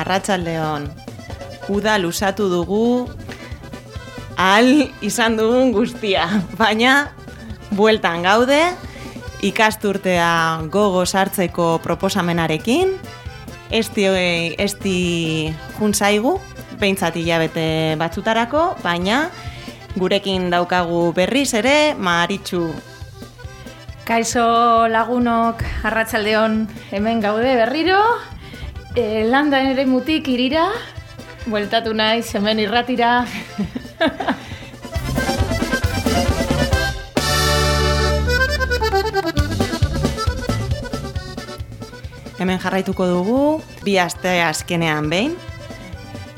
arratsaldeon. Uda lusatu dugu, ahal izan dugun guztia, baina bueltan gaude, ikasturtea gogo sartzeko proposamenarekin, esti juntzaigu, behintzat hilabete batzutarako, baina gurekin daukagu berriz ere, Maritxu. Kaixo lagunok, arratsaldeon, hemen gaude berriro, landa eremutik irira, bueltatu naiz hemen irratira. Hemen jarraituko dugu, 2 aste azkenean behin,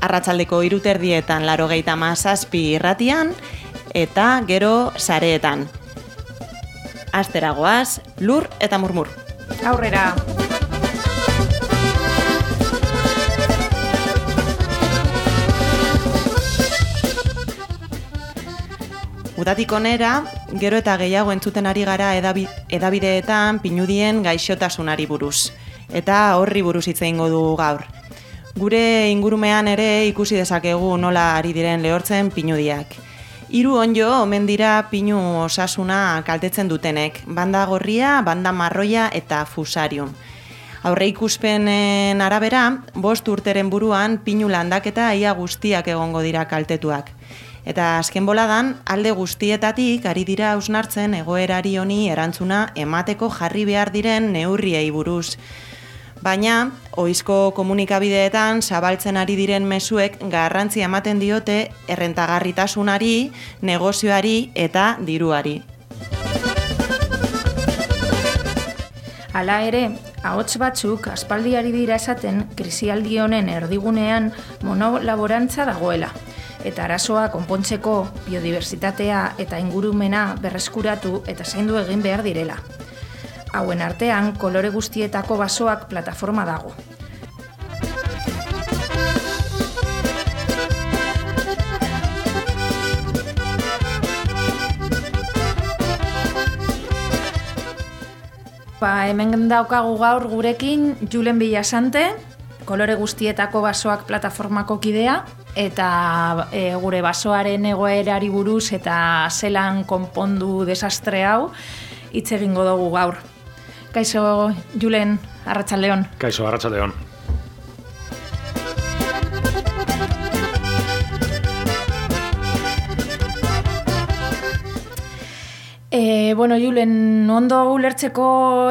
arratsaldeko 3:30 87 irratian, eta gero sareetan. Asteragoaz, lur eta murmur. Aurrera! Udatik onera, gero eta gehiago entzuten ari gara edabideetan pinudien gaixotasunari buruz. Eta horri buruz hitz egingo dugu gaur. Gure ingurumean ere ikusi dezakegu nola ari diren lehortzen pinudiak. 3 onjo omen dira pinu osasuna kaltetzen dutenek, banda gorria, banda marroia eta fusarium. Aurreikuspenen arabera, 5 urteren buruan pinu landaketa ia guztiak egongo dira kaltetuak. Eta azken boladan, alde guztietatik ari dira hausnartzen egoerari honi erantzuna emateko jarri behar diren neurriei buruz. Baina, ohizko komunikabideetan zabaltzen ari diren mezuek garrantzia ematen diote errentagarritasunari, negozioari eta diruari. Hala ere, ahots batzuk aspaldi ari dira esaten krisialdi honen erdigunean monolaborantza dagoela. Eta arazoa konpontzeko biodibertsitatea eta ingurumena berreskuratu eta zaindu egin behar direla. Hauen artean, kolore guztietako basoak plataforma dago. Hemen daukagu gaur gurekin Julen Villasante, kolore guztietako basoak plataformako kidea, eta gure basoaren egoerari buruz eta zelan konpondu desastre hau hitz egingo dugu gaur. Kaixo, Julen, arratsaldeon. Kaixo, arratsaldeon. Julen, ondo ulertzeko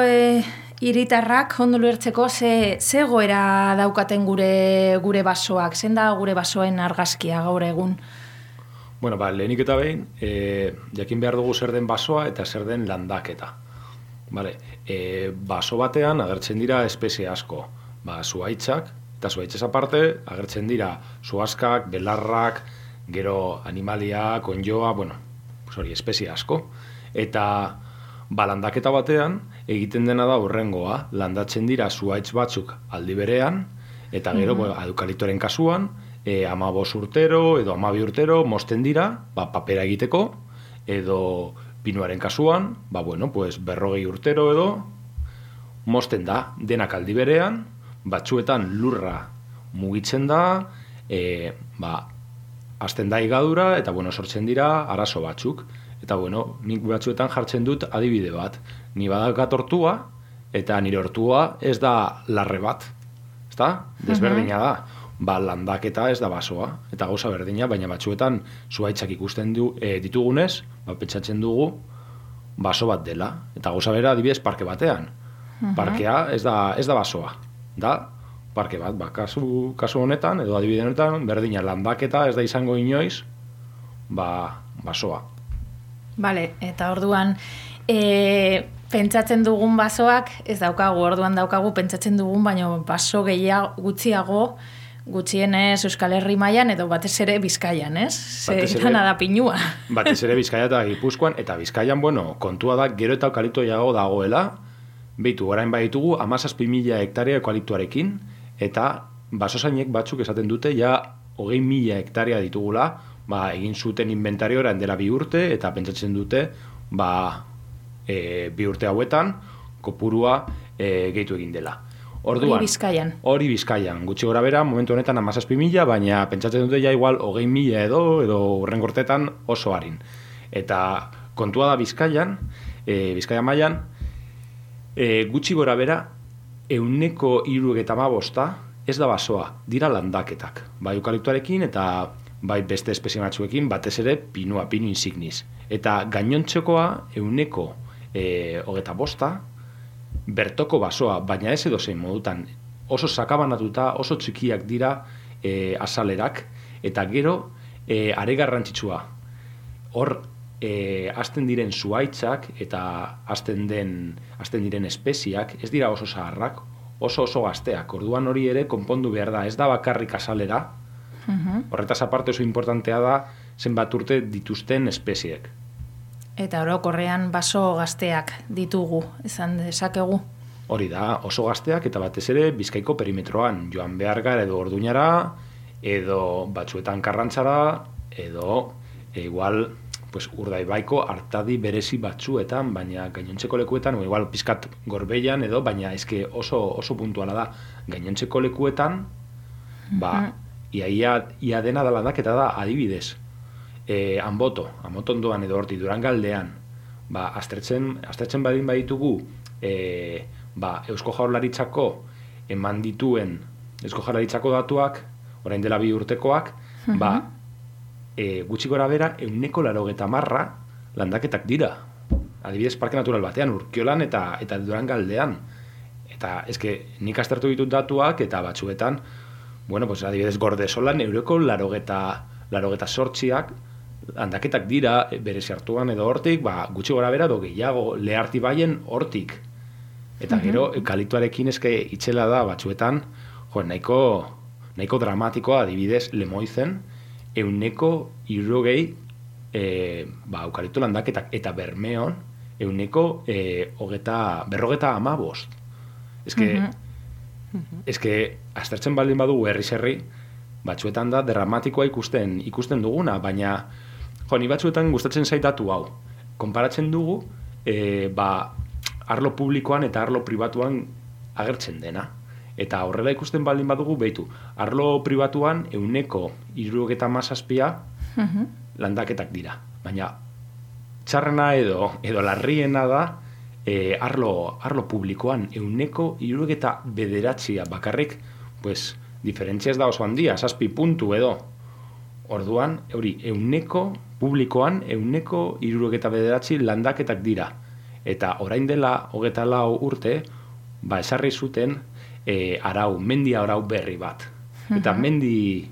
hiritarrak, ondo ulertzeko ze egoera daukaten gure basoak, zein da gure basoen argazkia gaur egun? Lehenik eta behin, jakin behar dugu zer den basoa eta zer den landaketa. Baso batean agertzen dira espezie asko, zuhaitzak, eta zuhaitzez aparte agertzen dira zuhaskak, belarrak, gero animaliak, onjoa, espezie asko. Eta landaketa batean egiten dena da horrengoa, landatzen dira zuhaitz batzuk aldi berean, eta gero eukaliptoren kasuan, 15 urtero edo 12 urtero mozten dira, papera egiteko, edo pinuaren kasuan, 40 urtero edo mozten da, denak aldi berean, batzuetan lurra mugitzen da, hasten da higadura, eta sortzen dira arazo batzuk. Eta nik batzuetan jartzen dut adibide bat. Ni badaukat ortua, eta nire ortua ez da larre bat. Ezta? Desberdina da. Landaketa ez da basoa, eta gauza berdina, baina batzuetan zuhaitzak ikusten ditugunez, pentsatzen dugu baso bat dela. Eta gauza bera adibidez parke batean. Parkea ez da basoa. Da, parke bat, kasu honetan, edo adibide honetan, berdina landaketa ez da izango inoiz, basoa. Bale, eta orduan, pentsatzen dugun basoak, ez daukagu, orduan daukagu pentsatzen dugun, baina baso gutxiago, gutxienez Euskal Herri mailan edo batez ere Bizkaian, ez? Zerana da pinua. Batez ere Bizkaia eta Gipuzkoan, eta Bizkaian, kontua da, gero eta eukalipto dagoela, behitu, orain baditugu, 17.000 hektarea eukaliptoarekin, eta basozainek batzuk esaten dute, 20.000 hektarea ditugula, egin zuten inventariora dela 2 urte, eta pentsatzen dute, 2 urte hauetan, kopurua gehitu egin dela. Orduan, hori Bizkaian, gutxi gora bera, momentu honetan 17.000, baina pentsatzen dute ja igual 20.000 edo urrengortetan oso harin. Eta kontua da Bizkaian, Bizkaia mailan, gutxi gora bera, 75% ez da basoa, dira landaketak. Bai eukaliptoarekin eta bai beste espezie batzuekin, batez ere Pinu insignis. Eta gainontzekoa 25% bertoko basoa, baina ez edozein modutan, oso sakabanatuta, oso txikiak dira azalerak, eta gero are garrantzitsua. Hor hasten diren zuhaitzak eta hasten diren espeziak ez dira oso zaharrak, oso gazteak. Orduan hori ere konpondu behar da, ez da bakarrik azalera. Horretaz aparte oso importantea da zenbat urte dituzten espeziek. Eta orokorrean baso gazteak ditugu, esan dezakegu. Hori da, oso gazteak eta batez ere Bizkaiko perimetroan, joan behar gara edo Orduñara, edo batzuetan Karrantzara, edo igual pues, Urdaibaiko artadi berezi batzuetan, baina gainontzeko lekuetan, o igual pizkat Gorbeian edo, baina eske oso puntuala da. Gainontzeko lekuetan, ia dena da landaketa da adibidez. Anboto ondoan edo horti Durangaldean, aztertzen badin baditugu Eusko Jaurlaritzako eman dituen Eusko Jaurlaritzako datuak, orain dela 2 urtekoak, gutxi gora bera 90% landaketak dira. Adibidez Parke Natural batean, Urkiolan eta Durangaldean. Eta eske nik aztertu ditut datuak eta batzuetan, pues adibidez Gordesolan 98%ak landaketak dira berezi hartuan edo hortik, gutxi gora bera edo gehiago Leharti baien hortik. Eta gero eukaliptoarekin eske itxela da batzuetan, nahiko dramatikoa adibidez Lemoizen 160 eukalipto landaketak eta Bermeon 155. Eske aztertzen baldin badugu herri batzuetan da dramatikoa ikusten duguna, baina ni batzuetan gustatzen zaitatu hau. Konparatzen dugu arlo publikoan eta arlo pribatuan agertzen dena. Eta horrela ikusten baldin badugu, behitu, arlo pribatuan 77% landaketak dira. Baina txarrena edo larriena da arlo publikoan 79% bakarrik, diferentzia ez da oso handia, 7 puntu edo. Orduan, publikoan 79% landaketak dira. Eta orain dela 24 urte, esarri zuten mendi arau berri bat. Eta mendi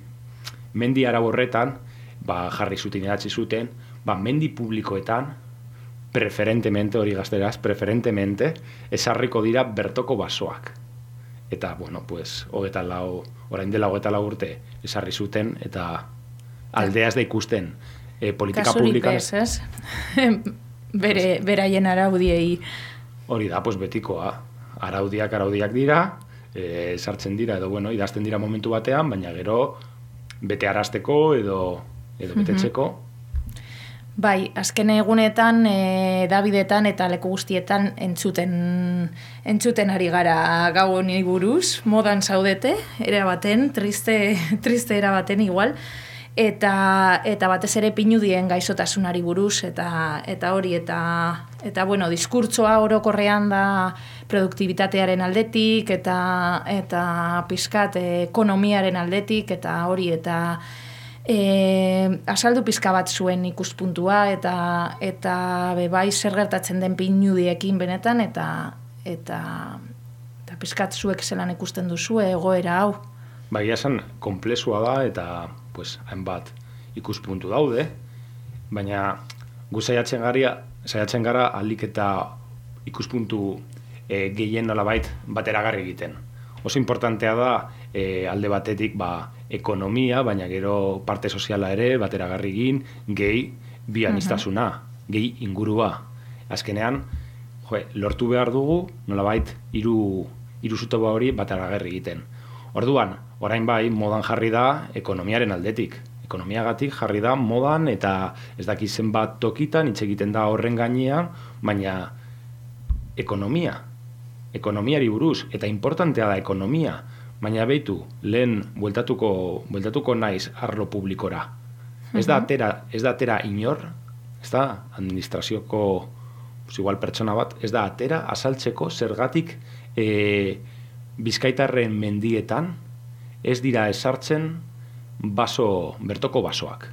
arau horretan, jarri zuten, idatzi zuten, mendi publikoetan, preferentemente, hori gazteraz, esarriko dira bertoko basoak. Eta, orain dela 24 urte esarri zuten, eta aldeaz da ikusten politika publikan... Kasuripez, ez? Beraien araudiei. Hori da, betikoa. Araudiak dira, sartzen dira, edo, idazten dira momentu batean, baina gero bete arazteko edo betetzeko. Bai, azken egunetan, Davidetan eta leku guztietan entzuten ari gara gau honi buruz, modan zaudete, erabaten, triste erabaten igual, eta batez ere pinudien gaixotasunari buruz, eta diskurtsoa orokorrean da produktibitatearen aldetik, eta pizkat ekonomiaren aldetik, eta hori, eta azaldu pizka bat zuen ikuspuntua eta bai zer gertatzen den pinudiekin benetan eta pizkat zuek zelan ikusten duzu egoera hau. Baina esan konplexua da eta hainbat ikuspuntu daude, baina gu saiatzen gara ahalik eta ikuspuntu gehien nolabait bateragarri egiten. Oso importantea da alde batetik ekonomia, baina gero parte soziala ere bateragarri egin, gehi bi aniztasuna, gehi ingurua. Azkenean, lortu behar dugu nolabait hiru zutoba hori bateragarri egiten. Orduan, orain bai modan jarri da ekonomiaren aldetik. Ekonomiagatik jarri da modan eta ez daki zenbat tokitan hitz egiten da horren gainean, baina ekonomia ekonomiari buruz, eta importantea da ekonomia, baina behitu, lehen bueltatuko naiz arlo publikora. Ez da atera inor, ez da administrazioko igual pertsona bat, ez da atera azaltzeko zergatik Bizkaitarren mendietan ez dira esartzen bertoko basoak.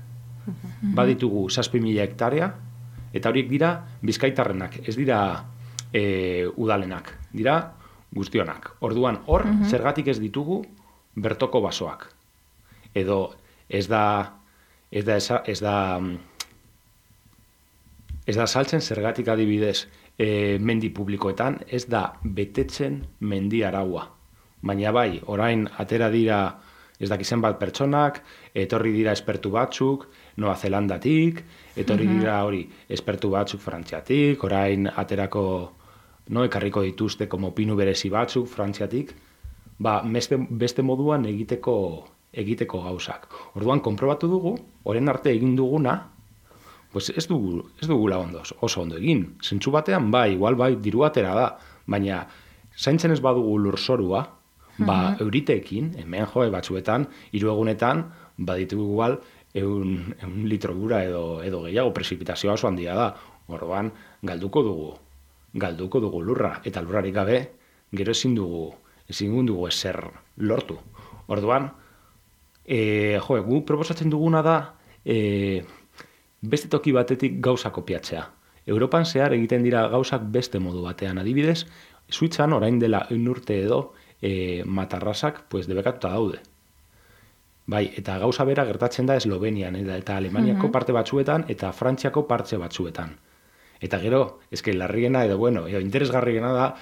Baditugu 7.000 hektarea, eta horiek dira Bizkaitarrenak, ez dira udalenak, dira guztionak. Orduan, hor, zergatik ez ditugu bertoko basoak. Edo ez da saltzen zergatik adibidez mendi publikoetan, ez da betetzen mendi araua. Baina bai, orain atera dira ez dakizen bat pertsonak, etorri dira espertu batzuk, Noa Zelandatik, etorri dira hori espertu batzuk Frantziatik, orain aterako ekarriko dituzte como pinu berezi batzuk Frantziatik, beste moduan egiteko gauzak. Orduan, konprobatu dugu, orain arte egin duguna, pues ez dugula oso ondo egin. Zentzu batean, igual diru atera da, baina zaintzen ez badugu lurzorua, euriteekin, hemen batzuetan, 3 egunetan, baditugu igual, 1 litro gura edo gehiago, prezipitazioa oso handia da. Orduan, galduko dugu lurra, eta lurrarik gabe, gero ezin dugu ezer lortu. Orduan, gu proposatzen duguna da, beste toki batetik gauza kopiatzea. Europan zehar egiten dira gauzak beste modu batean. Adibidez, Suitzan orain dela 1 urte edo matarrasak debekatuta daude. Bai, eta gauza bera gertatzen da Eslovenian, eta Alemaniako parte batzuetan, eta Frantziako parte batzuetan. Eta gero, larriena edo interesgarriena da,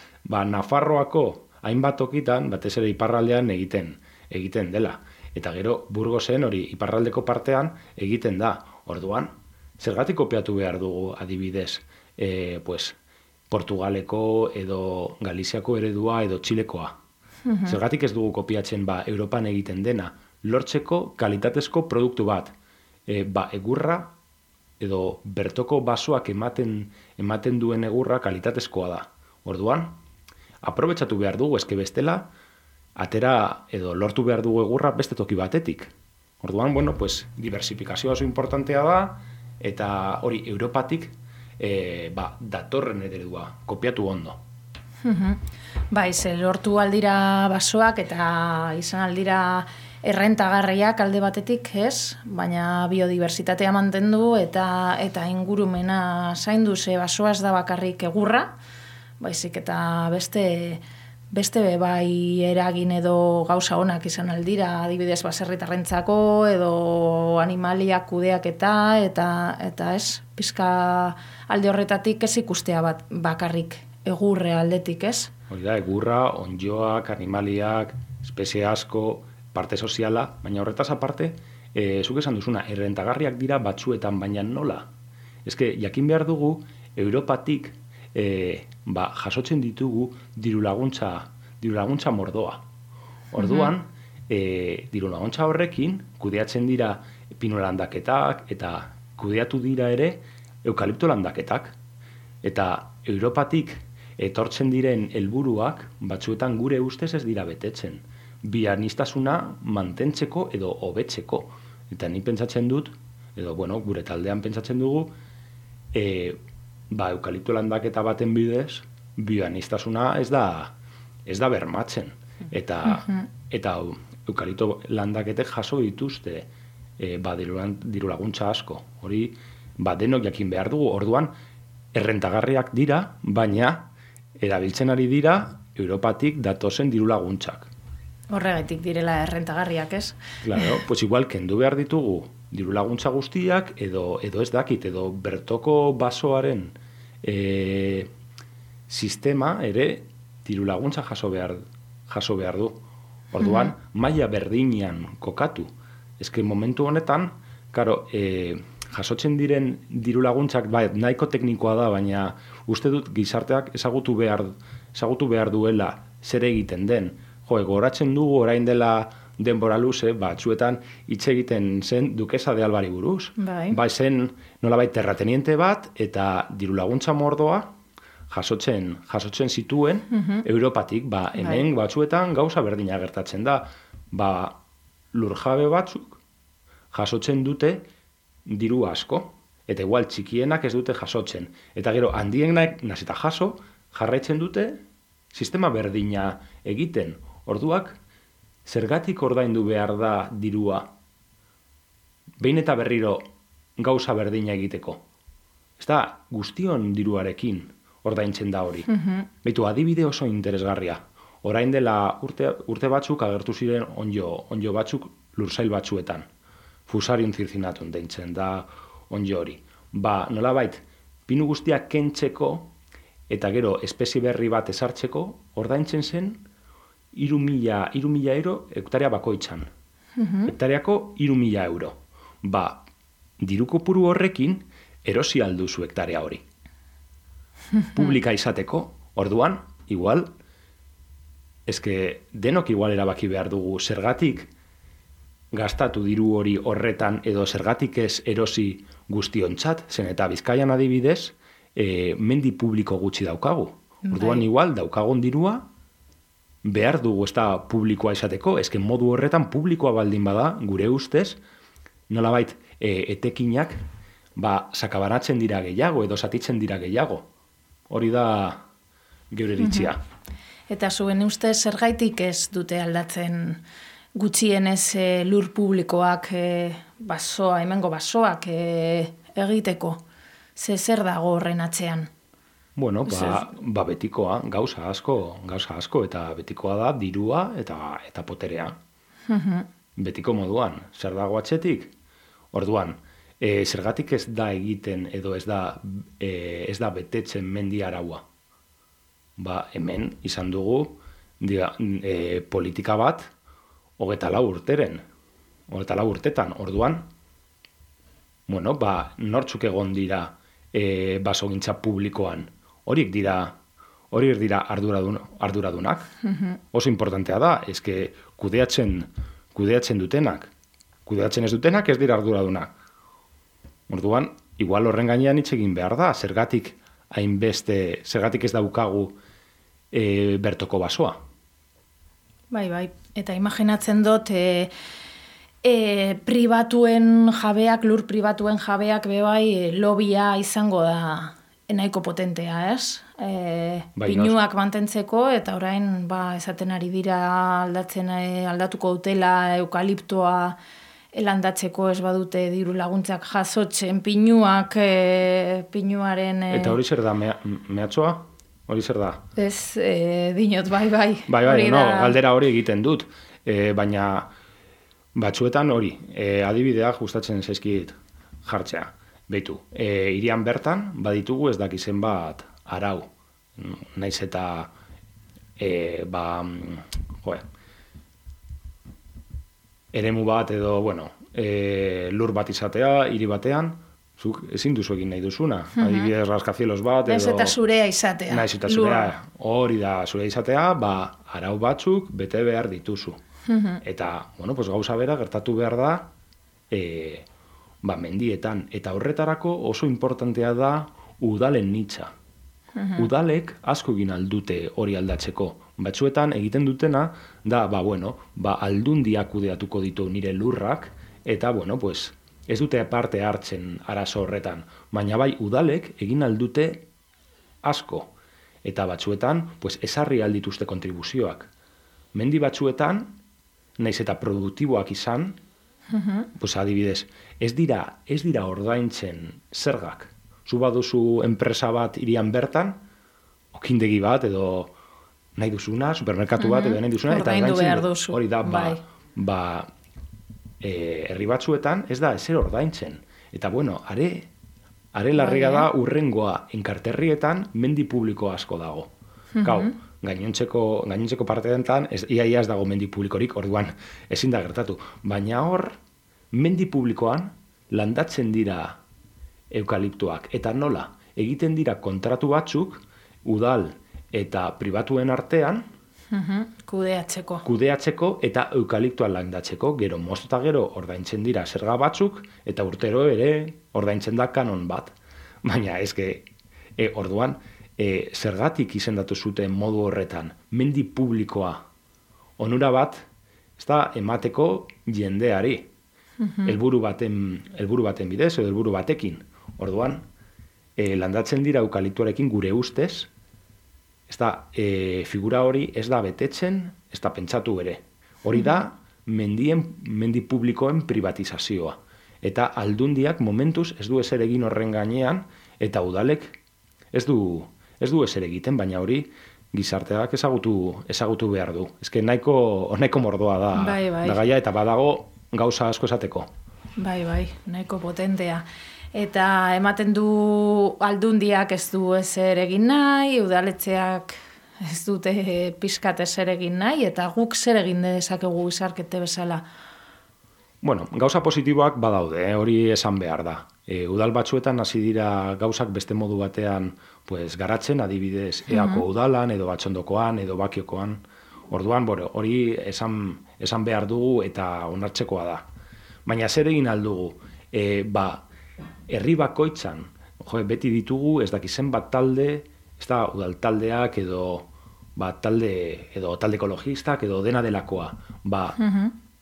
Nafarroako hainbat tokitan, batez ere iparraldean egiten dela. Eta gero, Burgosen hori iparraldeko partean egiten da. Orduan, zergatik kopiatu behar dugu adibidez, Portugaleko edo Galiziako eredua edo Txilekoa. Zergatik ez dugu kopiatzen Europan egiten dena, lortzeko kalitatezko produktu bat. Egurra edo bertoko basoak ematen duen egurra kalitatezkoa da. Orduan, aprobetxatu behar dugu, bestela, atera edo lortu behar dugu egurra beste toki batetik. Orduan, diversifikazioa oso importantea da, eta hori Europatik datorren eredua, kopiatu ondo. Lortu aldira basoak eta izan aldira errentagarriak alde batetik, ez? Baina biodiversitatea mantendu eta ingurumena zaindu, ze basoa ez da bakarrik egurra, baizik eta beste eragin edo gauza onak izan aldira, adibidez baserritarrentzako edo animaliak kudeaketa eta ez, pizka alde horretatik ez ikustea bakarrik egurre aldetik, ez? Hori da, egurra, ondjoak, animaliak, espezie asko, parte soziala, baina horretaz aparte, zuk esan duzuna, errentagarriak dira batzuetan, baina nola? Jakin behar dugu, Europatik jasotzen ditugu dirulaguntza mordoa. Orduan, dirulaguntza horrekin, kudeatzen dira pinu landaketak, eta kudeatu dira ere eukalipto landaketak. Eta Europatik etortzen diren helburuak batzuetan gure ustez ez dira betetzen. Bianiztasuna mantentzeko edo hobetzeko. Eta ni pentsatzen dut, edo gure taldean pentsatzen dugu, eukalipto landaketa baten bidez, bioaniztasuna ez da bermatzen. Eta eukalipto landaketek jaso dituzte dirulaguntza asko. Hori, denok jakin behar dugu. Orduan, errentagarriak dira, baina erabiltzen ari dira Europatik datozen dirulaguntzak. Horregatik direla errentagarriak, ez? Claro, igual kendu behar ditugu dirulaguntza guztiak edo ez dakit, edo bertoko basoaren sistema ere dirulaguntza jaso behar du. Orduan, maila berdinean kokatu. Momentu honetan, jasotzen diren dirulaguntzak nahiko teknikoa da, baina uste dut gizarteak ezagutu behar duela zer egiten den. Goratzen dugu orain dela denbora luze, batzuetan hitz egiten zen Dukesa de Albari buruz. Zen nolabait terrateniente bat eta dirulaguntza mordoa jasotzen zituen Europatik, hemen batzuetan gauza berdina gertatzen da, lurjabe batzuk jasotzen dute diru asko, eta igual txikienak ez dute jasotzen, eta gero handienak nazita jaso, jarraitzen dute sistema berdina egiten, orduak, zergatik ordaindu behar da dirua, behin eta berriro gauza berdina egiteko. Ez da, guztion diruarekin ordaintzen da hori. Beitu, adibide oso interesgarria. Orain dela urte batzuk agertu ziren onjo batzuk lursail batzuetan. Fusarium circinatum deitzen da onjo hori. Nolabait, pinu guztiak kentzeko eta gero espezie berri bat ezartzeko ordaintzen zen 3.000 euro hektarea bakoitzan. Hektareako 3.000 euro. Diru kopuru horrekin erosi alduzu hektarea hori. Publika izateko, orduan, igual, denok igual erabaki behar dugu zergatik gastatu diru hori horretan edo zergatik ez erosi guztiontzat, zen eta Bizkaian adibidez, mendi publiko gutxi daukagu. Orduan igual daukagun dirua behar dugu ez da publikoa izateko, modu horretan publikoa baldin bada, gure ustez, nolabait etekinak sakabanatzen dira gehiago edo zatitzen dira gehiago. Hori da geure iritzia. Eta zuen ustez zergaitik ez dute aldatzen gutxienez lur publikoak hemengo basoak egiteko? Zer dago horren atzean? Bueno, betikoa, gauza asko, eta betikoa da dirua eta poterea. Betiko moduan, zer dago atzetik? Orduan, zergatik ez da egiten edo ez da betetzen mendi araua. Hemen izan dugu politika bat 24 urtetan. Orduan, nortzuk egon dira basogintza publikoan. Horiek dira arduradunak. Oso importantea da, kudeatzen dutenak. Kudeatzen ez dutenak ez dira arduradunak. Orduan, igual horren gainean hitz egin behar da, zergatik ez daukagu bertoko basoa. Bai, eta imaginatzen dut lur pribatuen jabeak bebai lobia izango da nahiko potentea, ez? Pinuak mantentzeko, eta orain esaten ari dira aldatuko dutela eukaliptoa landatzeko ez badute diru laguntzak jasotzen pinuak, pinuaren... Eta hori zer da, mehatxoa? Hori zer da? Ez, dinot, bai. Galdera hori egiten dut, baina batzuetan hori, adibideak gustatzen zaizkit jartzea. Beitu, hirian bertan baditugu ez dakizen bat arau, naiz eta eremu bat edo, lur bat izatea, hiri batean, zuk ezin duzu egin nahi duzuna. Adibidez rascacielos bat edo... Naiz eta zurea izatea. Naiz eta zurea. Hori da, zurea izatea, arau batzuk bete behar dituzu. Eta, gauza bera gertatu behar da, mendietan. Eta horretarako oso importantea da udalen nitza. Udalek asko egin aldute hori aldatzeko. Batzuetan egiten dutena da, aldundia kudeatuko ditu nire lurrak, eta, ez dute parte hartzen arazo horretan. Baina udalek egin aldute asko. Eta batzuetan, ezarri aldituzte kontribuzioak. Mendi batzuetan, naiz eta produktiboak izan, adibidez, ez dira ordaintzen zergak. Zu baduzu enpresa bat hirian bertan, okindegi bat edo nahi duzuna, supermerkatu bat edo nahi duzuna, eta ordaintzen hori da, herri batzuetan ez da ezer ordaintzen. Eta are larriga da urrengoa enkarterrietan mendi publiko asko dago. Gainontzeko parteetan ia ez dago mendi publikorik, orduan ezin da gertatu. Baina hor, mendi publikoan landatzen dira eukaliptoak. Eta nola, egiten dira kontratu batzuk, udal eta pribatuen artean, kudeatzeko eta eukaliptoa landatzeko, gero moztu eta gero ordaintzen dira zerga batzuk, eta urtero ere ordaintzen da kanon bat. Baina orduan, zergatik izendatu zuten modu horretan, mendi publikoa, onura bat, ez da emateko jendeari, helburu baten bidez, edo helburu batekin. Orduan, landatzen dira eukaliptoarekin gure ustez, ez da, figura hori ez da betetzen, ez da pentsatu ere. Hori da, mendi publikoen privatizazioa. Eta aldundiak momentuz ez du ezer egin horren gainean, eta udalek ez du ezer egiten, baina hori gizarteak ezagutu behar du. Ezke nahiko mordoa da, da gaia, eta badago gauza asko esateko. Bai, nahiko potentea. Eta ematen du aldundiak ez du ezer egin nahi, udaletxeak ez dute pixkat ezer egin nahi, eta guk zer egin dezakegu gizarkete bezala. Bueno, gauza positiboak badaude, hori esan behar da. Udal batzuetan hasi dira gauzak beste modu batean garatzen, adibidez, eako udalan, edo batxondokoan, edo bakiokoan. Orduan, hori esan behar dugu eta onartzekoa da. Baina zer egin aldugu? Herri bakoitzan, beti ditugu, ez dakizen bat talde, ez da udal taldeak edo talde ekologistak edo dena delakoa.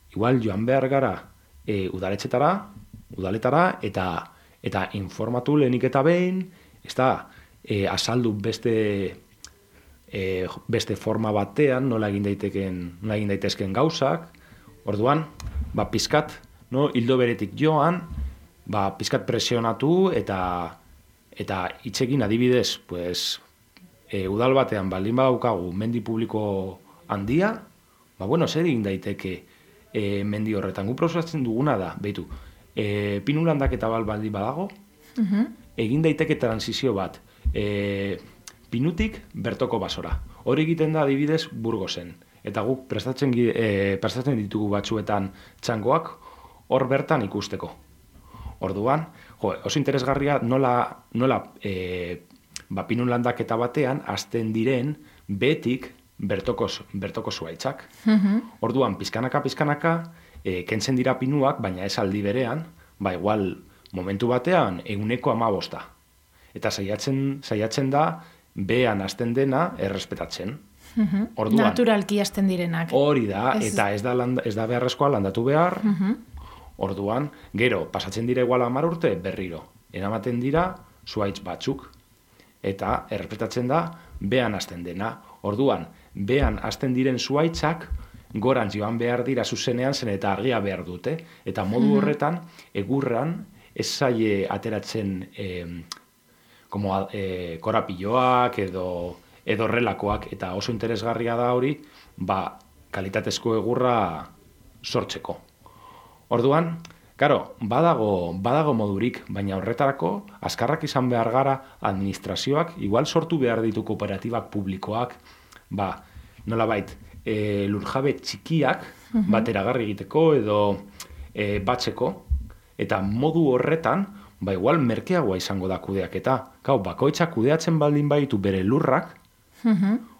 Igual joan behar gara udaletara eta informatu lehenik eta behin, ez da azaldu beste forma batean nola egin daitezken gauzak. Orduan, pizkat, hildo beretik joan, pizkat presionatu eta hitzekin adibidez, udal batean baldin badaukagu mendi publiko handia, zer egin daiteke mendi horretan. Gu proposatzen duguna da, behitu, pinu landaketa baldin badago, egin daiteke transizio bat, pinutik bertoko basora. Hori egiten da adibidez Burgosen. Eta guk prestatzen ditugu batzuetan txangoak hor bertan ikusteko. Orduan, oso interesgarria nola pinu landaketa batean hasten diren betik bertoko zuaitzak. Orduan, pizkanaka, kentzen dira pinuak, baina ez aldi berean, igual momentu batean 15%. Eta saiatzen da, behan hasten dena errespetatzen. Orduan, naturalki hasten direnak. Hori da, eta ez da beharrezkoa landatu behar. Orduan, gero, pasatzen dira igual 10 urte, berriro. Eramaten dira zuaitz batzuk. Eta errespetatzen da, behan hasten dena. Orduan, behan hasten diren zuaitzak, gorantz joan behar dira zuzenean zen eta argia behar dute. Eta modu horretan, egurran, ez zaie ateratzen korapilloak edo horrelakoak, eta oso interesgarria da hori, kalitatezko egurra sortzeko. Orduan, badago modurik, baina horretarako, azkarrak izan behar gara administrazioak, igual sortu behar ditu kooperatibak publikoak, nolabait, lurjabe txikiak, bateragarri egiteko edo batzeko, eta modu horretan, igual merkeagoa izango da kudeaketa. Bakoitzak kudeatzen baldin baditu bere lurrak,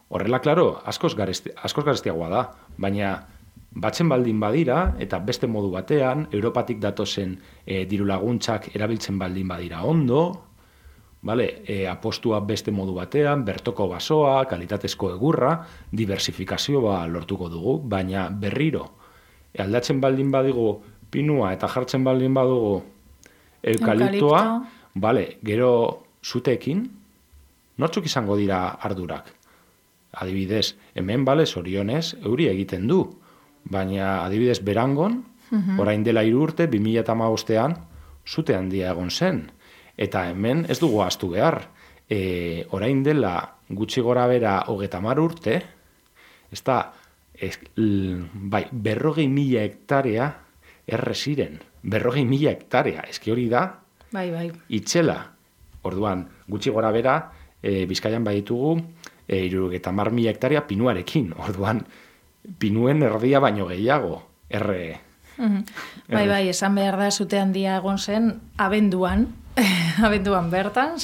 horrela, klaro, askoz garestiagoa da, baina batzen baldin badira, eta beste modu batean, Europatik datozen dirulaguntzak erabiltzen baldin badira ondo, apostua beste modu batean, bertoko basoa, kalitatezko egurra, diversifikazioa lortuko dugu, baina berriro, aldatzen baldin badigu pinua eta jartzen baldin badugu eukaliptoa, gero zuteekin, nortzuk izango dira ardurak? Adibidez, hemen, zorionez, euri egiten du, baina adibidez Berangon, orain dela 3 urte, 2015ean, zute handia egon zen. Eta hemen ez dugu ahaztu behar. Orain dela gutxi gora bera 30 urte, ez da, 40.000 hektarea erre ziren. 40.000 hektarea, eski hori da, itxela. Orduan, gutxi gora bera, Bizkaian baditugu, 30.000 hektarea pinuarekin. Orduan, pinuen erdia baino gehiago, erre. Esan behar da, zute handia egon zen, abenduan bertan,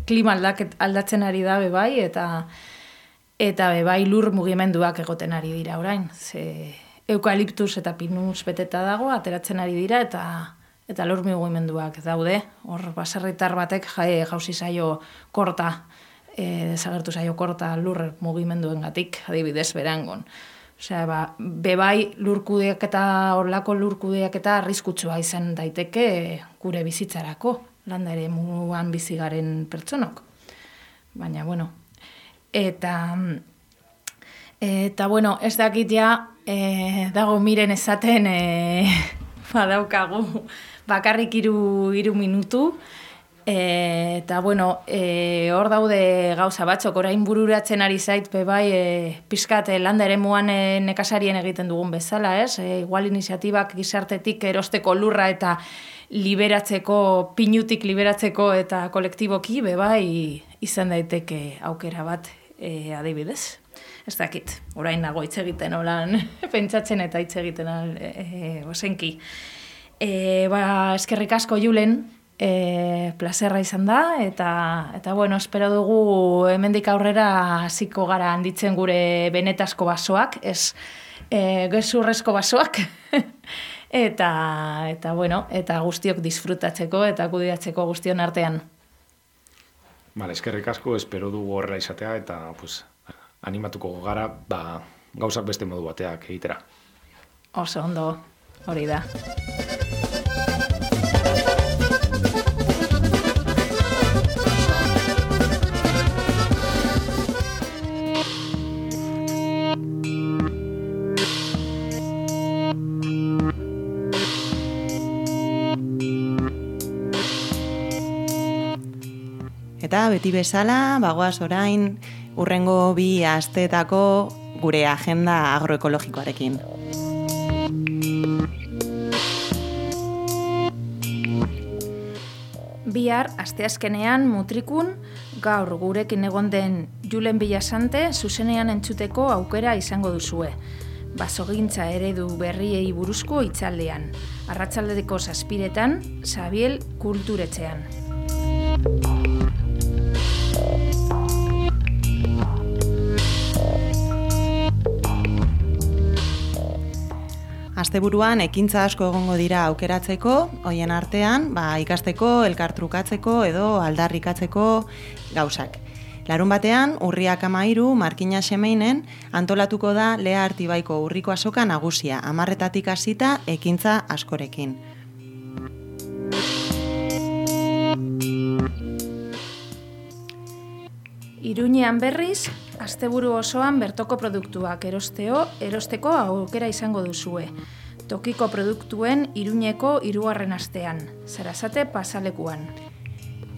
klima aldatzen ari da bebai, eta bebai lur mugimenduak egoten ari dira orain. Eukaliptus eta pinuz beteta dago, ateratzen ari dira, eta lur mugimenduak daude. Hor, baserritar batek jauzi zaio korta desagertu zaio korta lur mugimenduengatik, adibidez berangon. Osea, bebai horlako lurkudeaketa arriskutsua izan daiteke gure bizitzarako, landa ere muan bizigaren pertsonok. Baina, bueno, eta bueno, ez dakit ja, dago miren esaten, badaukagu bakarrik 3 minutu, eta bueno, hor daude gauza batzok, orain bururatzen ari zait, bai, pizkat landa eremuan nekazarien egiten dugun bezala, ez? Igual iniziatibak gizartetik erosteko lurra eta liberatzeko, pinutik liberatzeko eta kolektiboki, bai, izan daiteke aukera bat adibidez. Ez dakit, orain nago hitz egiten olan pentsatzen eta hitz egiten osenki. Eskerrik asko Julen, plazerra izan da, eta bueno, espero dugu hemendik aurrera hasiko gara handitzen gure benetazko basoak, ez gezurrezko basoak, eta bueno, eta guztiok disfrutatzeko eta kudeatzeko guztion artean. Vale, eskerrik asko, espero dugu horrela izatea, eta animatuko gara, gauzak beste modu bateak egitera. Oso ondo, hori da. Eta beti bezala, bagoaz orain, hurrengo 2 asteetako gure agenda agroekologikoarekin. Bihar, asteazkenean, Mutrikun, gaur gurekin egon den Julen Villasante zuzenean entzuteko aukera izango duzue. Basogintza eredu berriei buruzko hitzaldean. Arratsaldeko 7:00 Xabiel Kulturetxean. Asteburuan ekintza asko egongo dira aukeratzeko, hoien artean, ikasteko, elkartrukatzeko edo aldarrikatzeko gauzak. Larun batean, urriak 13, Markina Xemeinen, antolatuko da Lea Artibaiko urriko azoka nagusia, 10:00 hasita ekintza askorekin. Iruñean berriz, asteburu osoan bertoko produktuak erosteko aukera izango duzue. Tokiko produktuen Iruñeko 3. astean, Sarasate pasalekuan.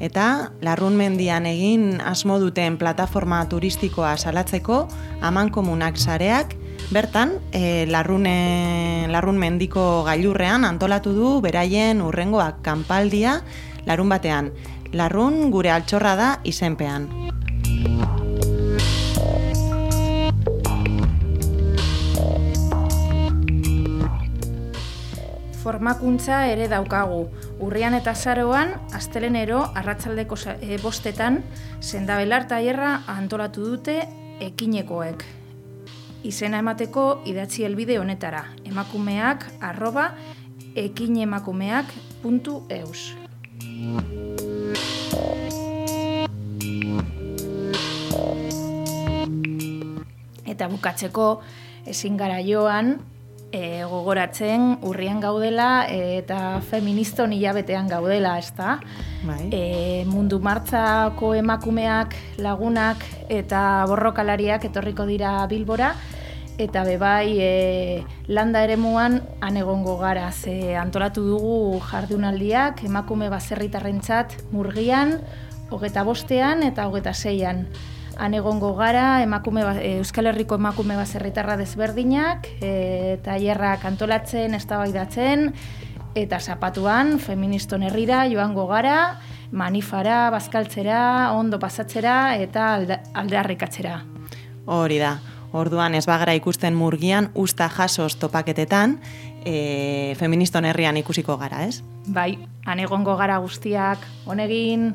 Eta Larrun mendian egin asmo duten plataforma turistikoa salatzeko amankomunak sareak, bertan Larrun mendiko gailurrean antolatu du beraien hurrengoak kanpaldia larun batean. Larrun gure altxorra da izenpean. Formakuntza ere daukagu. Urrian eta azaroan, astelenero arratsaldeko 5:00 sendabelar tailerra antolatu dute ekinekoek. Izena emateko idatzi helbide honetara, emakumeak@ekinemakumeak.eus. Eta bukatzeko ezin gara joan, gogoratzen urrian gaudela eta feministon hilabetean gaudela, ezta? Bai. Mundu martzako emakumeak, lagunak eta borrokalariak etorriko dira Bilbora, eta bebai landa eremuan han egongo gara, ze antolatu dugu jardunaldiak emakume baserritarrentzat Murgian, 25ean eta 26ean. Han egongo gara Euskal Herriko emakume baserritarra desberdinak, tailerrak antolatzen, eztabaidatzen, eta zapatuan feministon herrira joango gara, manifara, bazkaltzera, ondo pasatzera eta aldarrikatzera. Hori da. Orduan ez bagara ikusten Murgian usta jasoz topaketetan, feministon herrian ikusiko gara, ez? Bai, han egongo gara guztiak, honegin.